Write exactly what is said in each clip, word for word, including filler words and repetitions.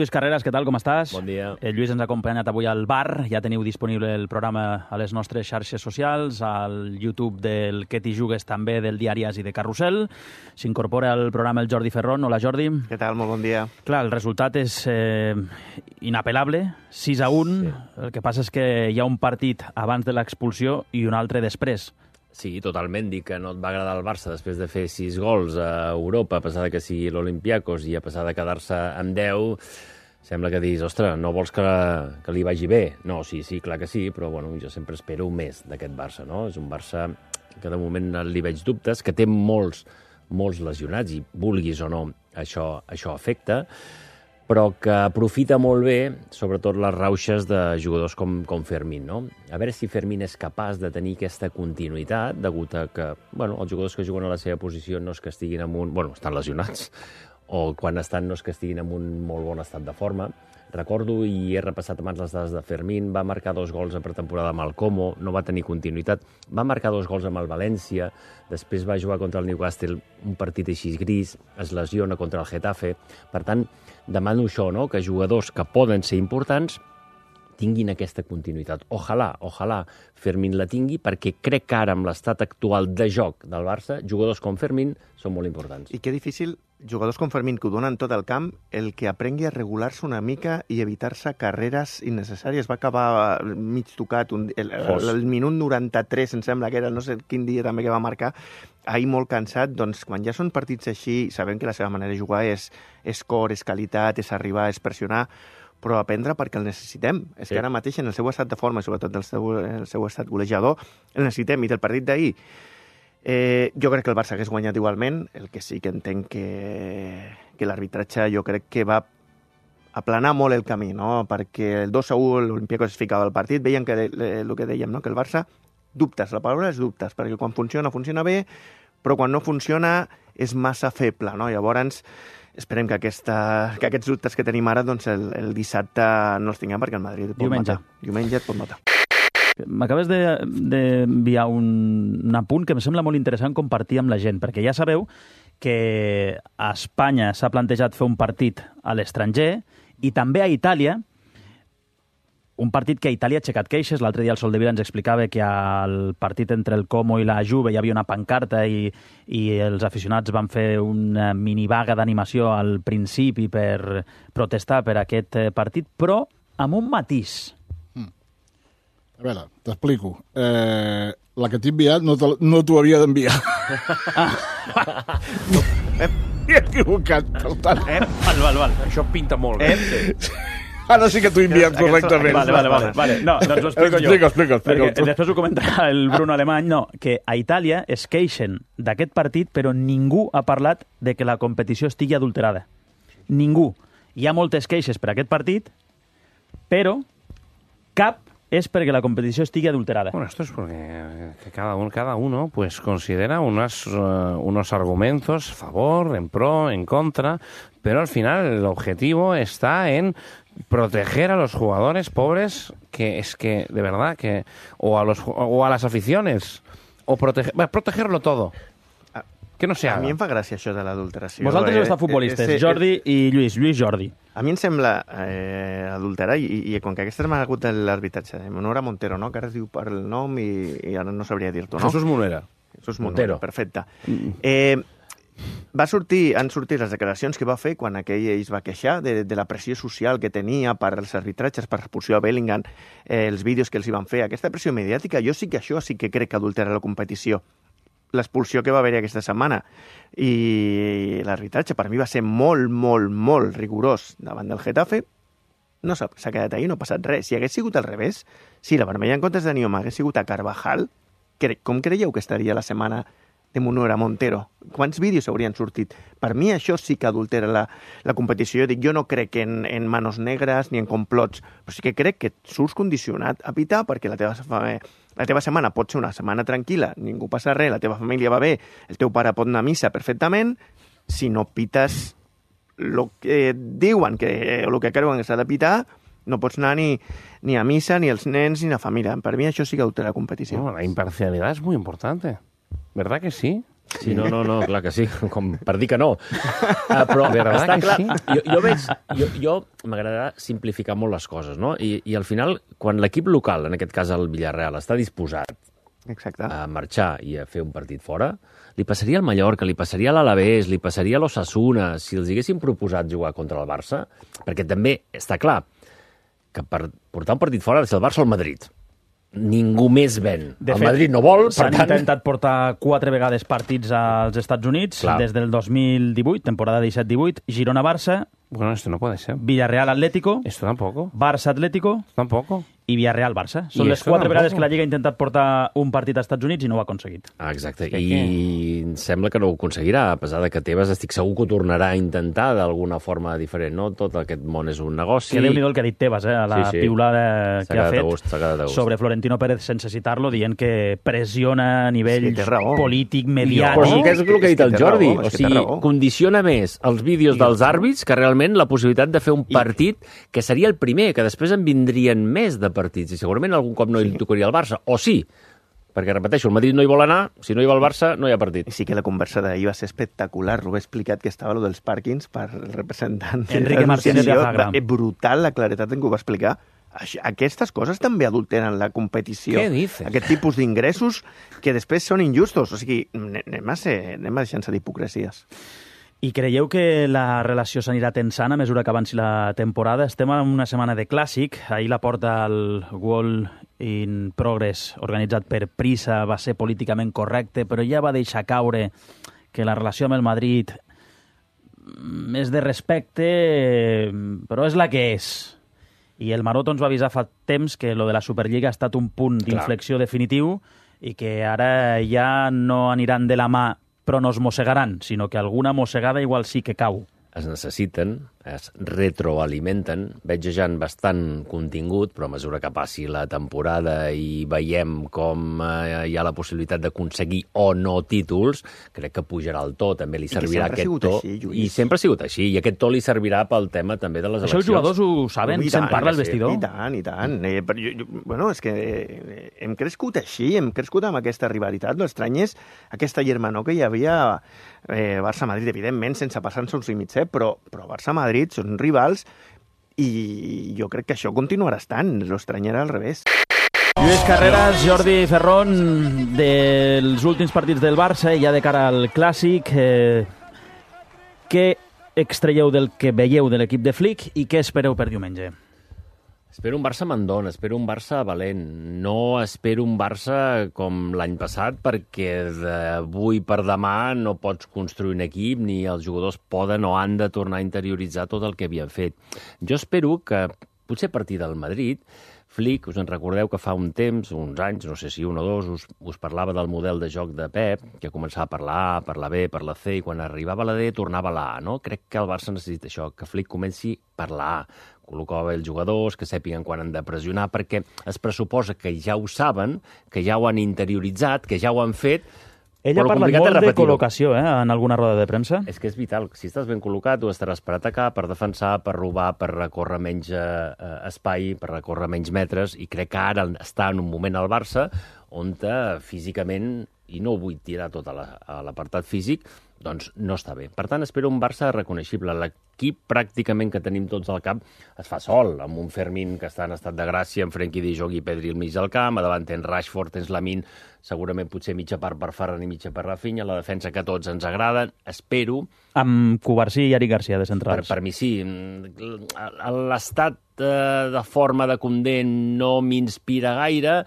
Lluís Carreras, què tal, com estàs? Bon dia. El Lluís ens ha acompanyat avui al bar. Ja teniu disponible el programa a les nostres xarxes socials, al YouTube del Que t'hi jugues també, del diari As i de Carrusel. S'incorpora al programa el Jordi Ferrón. Hola, Jordi. Què tal? Molt bon dia. Clar, el resultat és eh, inapel·lable, sis a un. Sí. El que passa és que hi ha un partit abans de l'expulsió i un altre després. Sí, totalment. Dir que no et va agradar el Barça després de fer sis gols a Europa, a pesar de que sigui l'Olympiacos i a pesar de quedar-se amb deu, sembla que diguis, ostres, no vols que, que li vagi bé? No, sí, sí, clar que sí, però bueno, jo sempre espero més d'aquest Barça, no? És un Barça que de moment li veig dubtes, que té molts, molts lesionats i vulguis o no, això, això afecta, però que aprofita molt bé, sobretot les rauxes de jugadors com, com Fermín, no? A veure si Fermín és capaç de tenir aquesta continuïtat, degut a que, bueno, els jugadors que juguen a la seva posició no és que estiguin en un... Bueno, estan lesionats, o quan estan no és que estiguin en un molt bon estat de forma. Recordo, i he repassat abans les dades de Fermín, va marcar dos gols a pretemporada amb el Como, no va tenir continuïtat, va marcar dos gols amb el València, després va jugar contra el Newcastle, un partit així gris, es lesiona contra el Getafe. Per tant, demano això, no?, que jugadors que poden ser importants tinguin aquesta continuïtat. Ojalà, ojalà Fermín la tingui, perquè crec que ara, amb l'estat actual de joc del Barça, jugadors com Fermín són molt importants. I que difícil, jugadors com Fermín, que ho donen tot el camp, el que aprengui a regular-se una mica i evitar-se carreres innecessàries. Va acabar mig tocat, un, el, el, el minut noranta-tres, em sembla que era, no sé quin dia també que va marcar, ahir molt cansat. Doncs quan ja són partits així, sabem que la seva manera de jugar és, és cor, és qualitat, és arribar, és pressionar, però aprendre perquè el necessitem. És sí. Que ara mateix, en el seu estat de forma, sobretot el seu, el seu estat golejador, el necessitem. I del partit d'ahir, eh, jo crec que el Barça hagués guanyat igualment. El que sí que entenc que, que l'arbitratge jo crec que va aplanar molt el camí, no? Perquè el dos a u l'Olympiacos es ficava al partit, veien que el que dèiem, no? Que el Barça, dubtes, la paraula és dubtes, perquè quan funciona, funciona bé, però quan no funciona és massa feble, no? Llavors, esperem que, aquesta, que aquests dubtes que tenim ara doncs el, el dissabte no els tinguem, perquè el Madrid et pot Diumenge. matar. Diumenge et pot matar. M'acabes d'enviar de, un, un apunt que em sembla molt interessant compartir amb la gent, perquè ja sabeu que a Espanya s'ha plantejat fer un partit a l'estranger i també a Itàlia, un partit que a Itàlia ha aixecat queixes. L'altre dia el Soldevila ens explicava que al partit entre el Como i la Juve hi havia una pancarta i, i els aficionats van fer una minivaga d'animació al principi per protestar per aquest partit, però amb un matís. Mm. A veure, t'explico. Eh, la que t'he enviat no, no t'ho havia d'enviar. Ah. M'he equivocat, per tant. Eh? Val, val, val. Això pinta molt bé. Eh? Ara sí que t'ho he enviat correctament. Vale, vale, vale, vale. No, doncs ho explico jo. Explica, explica, explica. Perquè després ho comentarà el Bruno Alemany. No, que a Itàlia es queixen d'aquest partit, però ningú ha parlat de que la competició estigui adulterada. Ningú. Hi ha moltes queixes per aquest partit, però cap es perquè la competició estigui adulterada. Bueno, esto es porque que cada, un, cada uno pues considera unas, uh, unos argumentos a favor, en pro, en contra, pero al final el objetivo está en proteger a los jugadores pobres, que es que, de verdad, que o a, los, o a las aficiones, o proteger, bueno, protegerlo todo. Que no se haga. A mi em fa gràcia això de l'adulteració. Vosaltres heu estat futbolistes, eh, eh, Jordi i Lluís. Lluís, Jordi. A mi em sembla eh, adulterar, i, i com que aquesta setmana ha hagut l'arbitratge de Monora Montero, no? Que ara es diu per el nom i, i ara no sabria dir-t'ho, no? Jesús Monera. Jesús Montero. Perfecte. Eh, va sortir, han sortit les declaracions que va fer quan aquell es va queixar de, de la pressió social que tenia per als arbitratges, per l'expulsió a Bellingham, eh, els vídeos que els hi van fer. Aquesta pressió mediàtica, jo sí que això sí que crec que adultera la competició. L'expulsió que va haver aquesta setmana i l'arbitratge per mi va ser molt, molt, molt rigorós davant del Getafe. No s'ha quedat ahí, no ha passat res. Si hagués sigut al revés, si la vermella en comptes de Nioma hagués sigut a Carvajal, com creieu que estaria la setmana de Monora Montero? Quants vídeos haurien sortit? Per mi això sí que adultera la, la competició. Jo dic, jo no crec en, en manos negres ni en complots, però sí que crec que surts condicionat a pitar perquè la teva, la teva setmana pot ser una setmana tranquil·la, ningú passa res, la teva família va bé, el teu pare pot anar a missa perfectament, si no pites el que diuen, que, o el que creuen que s'ha de pitar, no pots anar ni, ni a missa, ni els nens, ni la família. Per mi això sí que adultera la competició. No, la imparcialidad es muy importante. ¿Verdad que sí? Sí, no, no, no, clar que sí, com per dir que no. Uh, però està clar, sí? jo, jo veig, jo, jo m'agrada simplificar molt les coses, no? I, i al final, quan l'equip local, en aquest cas el Villarreal, està disposat Exacte. a marxar i a fer un partit fora, li passaria al Mallorca, li passaria a l'Alavés, li passaria a l'Osasuna, si els haguessin proposat jugar contra el Barça, perquè també està clar que per portar un partit fora ha de ser el Barça o el Madrid. Ningú més ven. De el fet, Madrid no vol, per s'han tant... intentat portar quatre vegades partits als Estats Units, Clar. des del dos mil divuit, temporada disset divuit, Girona-Barça, Bueno, esto no puede ser. Villarreal-Atlético, Esto tampoco. Barça-Atlético Tampoco. i Villarreal-Barça. Són I les esto quatre tampoco. vegades que la Lliga ha intentat portar un partit als Estats Units i no ho ha aconseguit. Ah, exacte, Que i què? sembla que no ho aconseguirà, a pesar de que Tebas estic segur que ho tornarà a intentar d'alguna forma diferent, no? Tot aquest món és un negoci. Que Déu-n'hi-do el que ha dit Tebas, eh, a la Sí, sí. piulada S'ha que ha quedat a fet gust, s'ha quedat a gust. sobre Florentino Pérez sense citar-lo, dient que pressiona a nivell Sí, té raó. polític, Però mediàtic. és que és el que ha dit el És que té Jordi. raó, és O que té sigui, raó. condiciona més els vídeos dels àrbits que realment la possibilitat de fer un partit que seria el primer, que després en vindrien més de partits i segurament algun cop no hi tocaria el Barça. O sí, perquè, repeteixo, el Madrid no hi vol anar, si no hi va el Barça, no hi ha partit. I sí que la conversa d'ahir va ser espectacular. Ho he explicat que estava lo dels pàrquings per el representant. de Enrique Martínez de l'associació. Azagra. Va- És brutal la claretat en què ho va explicar. Això- Aquestes coses també adulteren la competició. Què dices? Aquest tipus d'ingressos que després són injustos. O sigui, anem a, ser, anem a deixar-se d'hipocresies. I creieu que la relació s'anirà tensant a mesura que avanci la temporada? Estem en una setmana de clàssic. Ahir la porta al World in Progress, organitzat per Prisa, va ser políticament correcte, però ja va deixar caure que la relació amb el Madrid és de respecte, però és la que és. I el Maroto ens va avisar fa temps que lo de la Superliga ha estat un punt d'inflexió definitiu i que ara ja no aniran de la mà però no es mossegaran, sinó que alguna mossegada igual sí que cau. Es necessiten, es retroalimenten, veig ja en bastant contingut, però a mesura que passi la temporada i veiem com eh, hi ha la possibilitat d'aconseguir o no títols, crec que pujarà el to, també li que servirà sempre ha aquest sigut to. així, Lluís. I sempre ha sigut així, i aquest to li servirà pel tema també de les Això els eleccions. jugadors ho saben, I se'n tant, parla al que sí, vestidor. I tant, i tant. Eh, però jo, jo, bueno, és que eh, hem crescut així, hem crescut amb aquesta rivalitat. L'estrany és aquesta germanor que hi havia eh, Barça-Madrid, evidentment, sense passar-se uns límits, eh, però, però Barça-Madrid són rivals i jo crec que això continuarà estant. L'estrany era al revés. Lluís Carreras, Jordi Ferrón, dels últims partits del Barça, ja de cara al Clàssic, eh, què extraieu del que veieu de l'equip de Flick i què espereu per diumenge? Espero un Barça mandón, espero un Barça valent. No espero un Barça com l'any passat, perquè d'avui per demà no pots construir un equip, ni els jugadors poden o han de tornar a interioritzar tot el que havien fet. Jo espero que, potser a partir del Madrid, Flick, us en recordeu que fa un temps, uns anys, no sé si un o dos, us, us parlava del model de joc de Pep, que començava per la A, per la B, per la C, i quan arribava a la D tornava a la A, no? Crec que el Barça necessita això, que Flick comenci per la A, col·locava els jugadors, que sàpiguen quan han de pressionar, perquè es pressuposa que ja ho saben, que ja ho han interioritzat, que ja ho han fet. Ell ha però parlat complicat és molt de repetir-ho. col·locació, eh, en alguna roda de premsa. És que és vital. Si estàs ben col·locat, tu estaràs per atacar, per defensar, per robar, per recórrer menys eh, espai, per recórrer menys metres, i crec que ara està en un moment al Barça on físicament, i no vull tirar tot a la- a l'apartat físic, doncs no està bé. Per tant, espero un Barça reconeixible. L'equip pràcticament que tenim tots al cap es fa sol, amb un Fermín que està en estat de gràcia, amb Frenkie de Jong i Pedri al mig del camp, a davant tens Rashford, tens Lamine, segurament potser mitja part per Ferran i mitja per Rafinha, la defensa que a tots ens agraden. Espero Amb Cubarsí i Eric Garcia de per, centrals. per mi sí. L'estat eh, de forma de Condé no m'inspira gaire,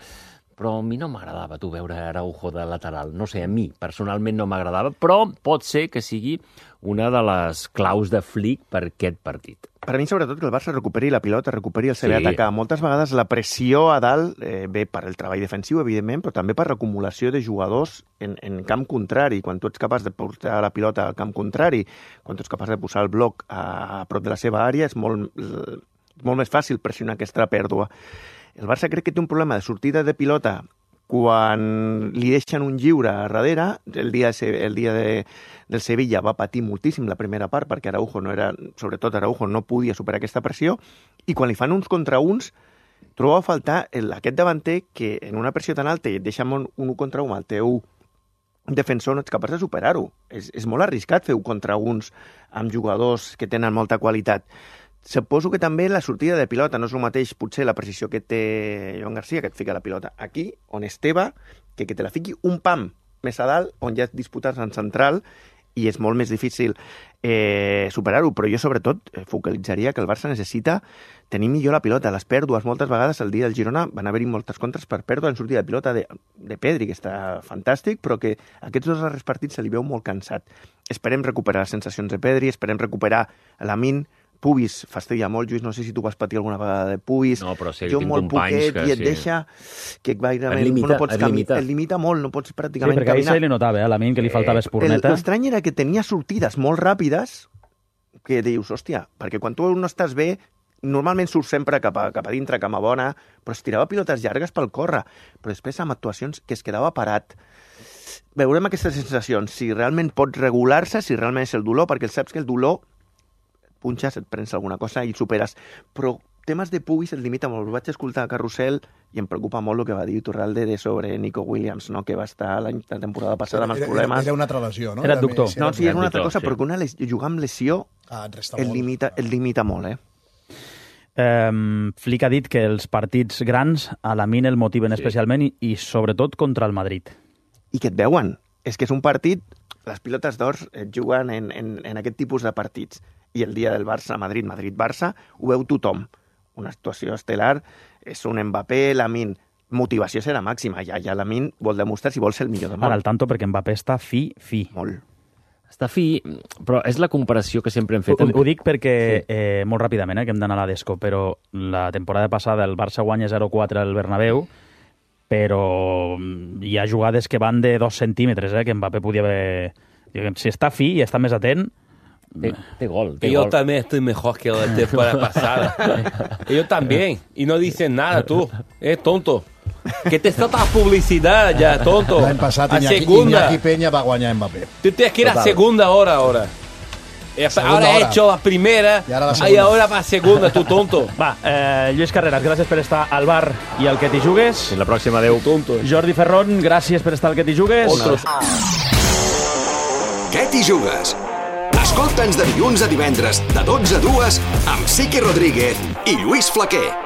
però a mi no m'agradava, tu, veure Araujo de lateral. No sé, a mi personalment no m'agradava, però pot ser que sigui una de les claus de Flick per aquest partit. Per a mi, sobretot, que el Barça recuperi la pilota, recuperi el saber Sí. atacar. Moltes vegades la pressió a dalt eh, ve per el treball defensiu, evidentment, però també per l'acumulació de jugadors en, en camp contrari. Quan tu ets capaç de portar la pilota al camp contrari, quan tu ets capaç de posar el bloc a, a prop de la seva àrea, és molt, eh, molt més fàcil pressionar aquesta pèrdua. El Barça crec que té un problema de sortida de pilota quan li deixen un lliure a darrere. El dia, el dia de, del Sevilla va patir moltíssim la primera part perquè Araujo no era, sobretot Araujo no podia superar aquesta pressió, i quan li fan uns contra uns trobo a faltar el, aquest davanter que en una pressió tan alta i et deixa un, un contra un al teu un defensor no ets capaç de superar-ho. És, és molt arriscat fer-ho contra uns amb jugadors que tenen molta qualitat. Suposo que també la sortida de pilota no és el mateix, potser la precisió que té Joan Garcia, que et fica la pilota aquí, on esteva, que que te la fiqui un pam més a dalt, on ja et disputes en central, i és molt més difícil eh, superar-ho, però jo sobretot focalitzaria que el Barça necessita tenir millor la pilota. Les pèrdues, moltes vegades el dia del Girona van haver-hi moltes contres per pèrdua en sortida de pilota de, de Pedri, que està fantàstic, però que aquests dos darrers partits se li veu molt cansat. Esperem recuperar les sensacions de Pedri, esperem recuperar l'Amin. Pubis fastidia molt, Lluís, no sé si tu vas patir alguna vegada de Pubis. No, però sí, jo tinc molt companys poquet, que i et sí. deixa que gairebé Et limita, no pots et caminar. limita. Et limita molt, no pots Sí, pràcticament perquè ahir caminar. se li notava, eh, a l'Amin, que li faltava espurneta. L'estrany era que tenia sortides molt ràpides que dius, hòstia, perquè quan tu no estàs bé, normalment surt sempre cap a, cap a dintre, cama bona, però es tirava pilotes llargues pel córrer, però després amb actuacions que es quedava parat. Veurem aquestes sensacions, si realment pot regular-se, si realment és el dolor, perquè saps que el dolor punxes, et prens alguna cosa i el superes. Però temes de Pubis et limita molt. Ho vaig escoltar a Carrusel i em preocupa molt el que va dir Iturralde de sobre Nico Williams, no? Que va estar la temporada passada amb els Era, problemes. era una altra lesió, no? Era adductor. No, sí, és una altra Adductor, cosa, sí. però que una les... jugar amb lesió Ah, et resta el molt. limita, el limita molt, eh? Um, Flick ha dit que els partits grans a l'Amin el motiven Sí. especialment i, i sobretot contra el Madrid. I que et veuen. És que és un partit... Les pilotes d'or et juguen en, en, en aquest tipus de partits. I el dia del Barça-Madrid, Madrid-Barça, ho veu tothom. Una actuació estel·lar, és un Mbappé, l'Amin. Motivació serà màxima. Ja, ja l'Amin vol demostrar si vol ser el millor del món. Ara, al tanto, perquè Mbappé està fi, fi. Molt. Està fi, però és la comparació que sempre hem fet. Ho, ho dic perquè, eh, molt ràpidament, eh, que hem d'anar a la Desco, però la temporada passada el Barça guanya zero quatre al Bernabéu, però hi ha jugades que van de dos centímetres, eh, que Mbappé podia haver... Si està fi i està més atent... Té, té gol, té Yo gol. también estoy mejor que la temporada pasada. Yo también. Y no dicen nada, tú. Es tonto. Que te falta publicidad ya, tonto. L'any passat A Iñaki, segunda. Iñaki Peña va guanyar Mbappé. Tú tienes que ir a Total. segunda hora ahora. Eh, Segunda ahora he hora. hecho la primera Y ahora la y segunda. ahora va a segunda, tú tonto. Va, eh, Lluís Carreras, gràcies per estar al bar i al Que t'hi jugues. Fins la pròxima, adeu. Tonto. Jordi Ferron, gràcies per estar al Que t'hi jugues. Otros. Què t'hi jugues? Escolta'ns de dilluns a divendres, de dotze a dues, amb Sique Rodríguez i Lluís Flaquer.